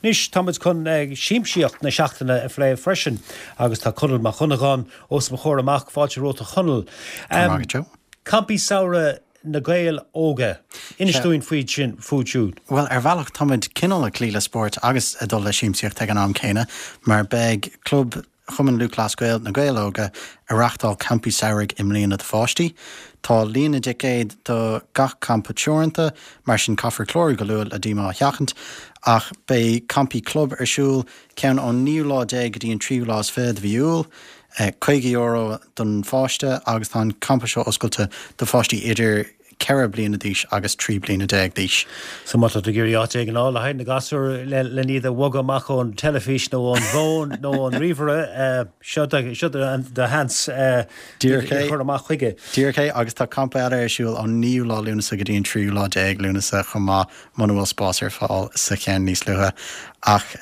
Anois, tá muid chun siamsaíocht na seachtaine a phlé freisin agus tá Conall Mac Dhonnagáin os mo chomhair amach. Fáilte romhat a Chonaill. Go raibh maith agat, Joe. Campaí samhraidh na Gaeil Óga. Inis dúinn faoi sin, fúthu siúd. Bhuel, ar bhealach táimid cineál ag cloí le spórt agus ag dul le siamsaíocht ag an am céanna mar beidh Club Chumann Lúthchleas Gael, Na Gaeil Óga, ag reáchtáil campaí samhraidh i mbliana do pháistí. Tá líon na dticéad do gach campa teoranta, mar sin caithfear clárú go luath le díomá a sheachaint. Ach beidh campaí club ar siúl, ceann ón naoú lá déag go dtí an tríú lá is fiche de mhí Iúil, €50 don pháiste, agus tá an campa seo oscailte do pháistí idir 4 bliana d'aois agus 13 bliana d'aois. So má tá tú ag iarraidh áit éigin a fháil le haghaidh na gasúr len iad a bhogadh amach ón teilifís nó ón bhfón nó ón ríomhaire, seo do sheans iad a chur amach chuige. Díreach é, agus tá campa eile ar siúl ón naoú lá Lúnasa go dtí an tríú lá déag Lúnasa chomh maith, muna bhfuil spás ar fáil sa cheann níos luaithe. Ach.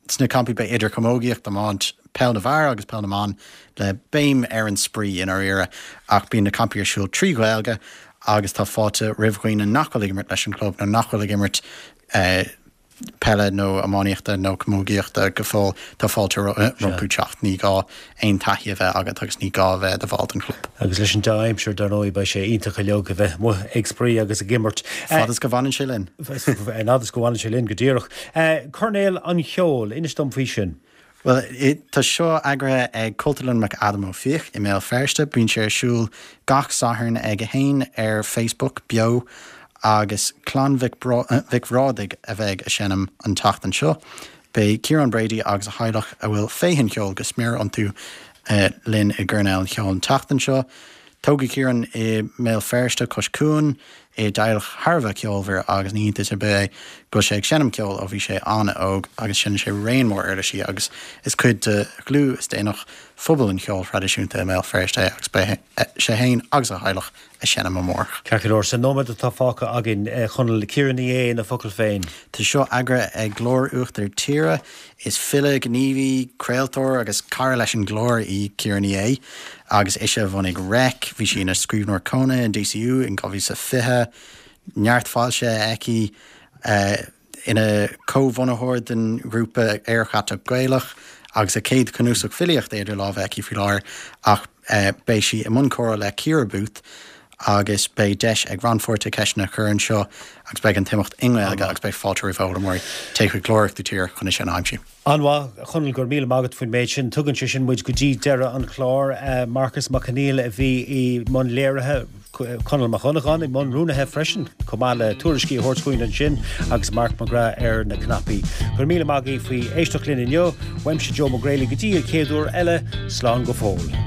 Sna campaí beidh idir chamógaíocht, iomáint, peil na bhfear agus peil na mban, le béim ar an spraoi i ndáiríre, ach bíonn na campaí ar siúl trí Ghaeilge agus tá fáilte roimh dhaoine nach bhfuil ag imirt leis an gclub nó nach bhfuil ag imirt peile nó iománaíochta nó camógaíochta go fóill, tá fáilte rompu teacht. Ní gá aon taithí a bheith agat agus ní gá a bheith i do bhall den chlub. Agus leis an dea-aimsir, dar ndóigh, beidh sé iontach uilig a bheith amuigh ag spraoi agus ag imirt. Fad is go bhfanann sé linn. Fad is go bhfanann sé linn, go díreach. Coirnéal an Cheoil, inis dom faoi sin. Bhuel, tá seo eagraithe ag Cultúrlann McAdam Ó Fiaich i mBéal Feirste. Bíonn sé ar siúl gach Satharn ag a haon ar Facebook, beo, agus Clann Mhic Bhrádaigh a bheidh ag seinm an tseachtain seo. Beidh Ciarán Brady agus a theaghlach, a bhfuil féith an cheoil go smior iontu, linn i gCoirnéal an Cheoil an tseachtain seo. Tógadh Ciarán i mBéal Feirste, cois cuain, i dteaghlach thar a bheith ceolmhar agus ní hiontas ar bith é go bhfuil sé ag seinm ceoil ó bhí sé an-óg agus seinneann sé raon mór uirlisí agus is cuid de dhlúth is d'inneach phobal an cheoil thraidisiúnta i mBéal Feirste é agus beidh sé féin agus a theaghlach ag seinm amárach. Ceart go leor, sa nóiméad atá fágtha againn, a Chonaill, Ciara Ní É na focail féin. Tá seo eagraithe ag Glór Uachtar Tíre. Is file, gníomhaí, craoltóir agus cara leis an gclár í Ciara Ní É agus ise a bhunaigh Reic. Bhí sí ina scríbhneoir cónaithe in DCU in 2020. Neart foilsithe aici. Ina comhbhunaitheoir den ghrúpa Aer Chatach Gaelach agus a céad chnuasach filíochta idir lámha aici faoi láthair ach beidh sí i mbun comhrá le Ciara Booth agus beidh deis ag rannpháirtithe ceisteanna a chur anseo agus beidh an t-imeacht i nGaeilge agus beidh fáilte roimh fhoghlaimeoirí. Téigh chuig Glór Uachtar Tíre chun é sin a aimsiú. An-mhaith, a Chonaill, go raibh míle maith agat faoin méid sin. Tugann sé sin muid go dtí deireadh an chláir. Marcas Mac Conghail a bhí i mbun léirithe, Conall Mac Dhonnagáin i mbun rúnaithe freisin, chomh maith le tuairiscí a thabhairt chugainn ansin agus Mark McGrath ar na cnaipí. Go raibh míle maith agaibh faoi éisteacht linn inniu. Uaimse Joe Mac Greally go dtí an chéad uair eile, slán go fóill.